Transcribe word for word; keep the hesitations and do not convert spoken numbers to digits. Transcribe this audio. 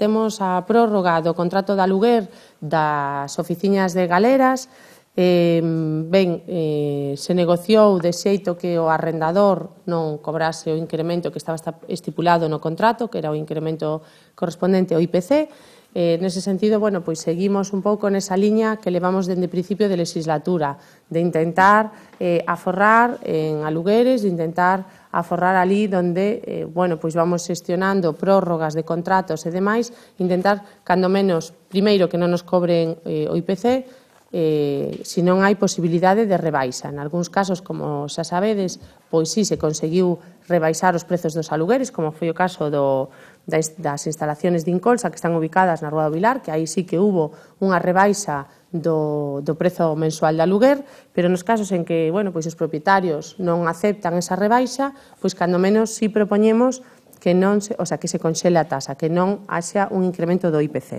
temos a prórroga do contrato de aluguer das oficinas de Galeras. Eh, ben, eh, se negociou de xeito que o arrendador non cobrase o incremento que estaba estipulado no contrato, que era o incremento correspondente ao I P C. Eh, nese sentido, bueno, pois seguimos un pouco nesa liña que levamos dende o principio de legislatura, de intentar eh, aforrar en alugueres, de intentar aforrar ali donde, eh, bueno, pois vamos xestionando prórrogas de contratos e demais, intentar, cando menos, primeiro, que non nos cobren eh, o I P C, eh, se non hai posibilidade de rebaixa. En algúns casos, como xa sabedes, pois sí se conseguiu rebaixar os prezos dos alugueres, como foi o caso do, das, das instalaciones de Incolsa que están ubicadas na Rúa do Vilar, que aí sí que hubo unha rebaixa do, do prezo mensual de aluguer, pero nos casos en que, bueno, pois os propietarios non aceptan esa rebaixa, pois cando menos sí propoñemos que non se, o sea, que se conxele a tasa, que non haxa un incremento do I P C.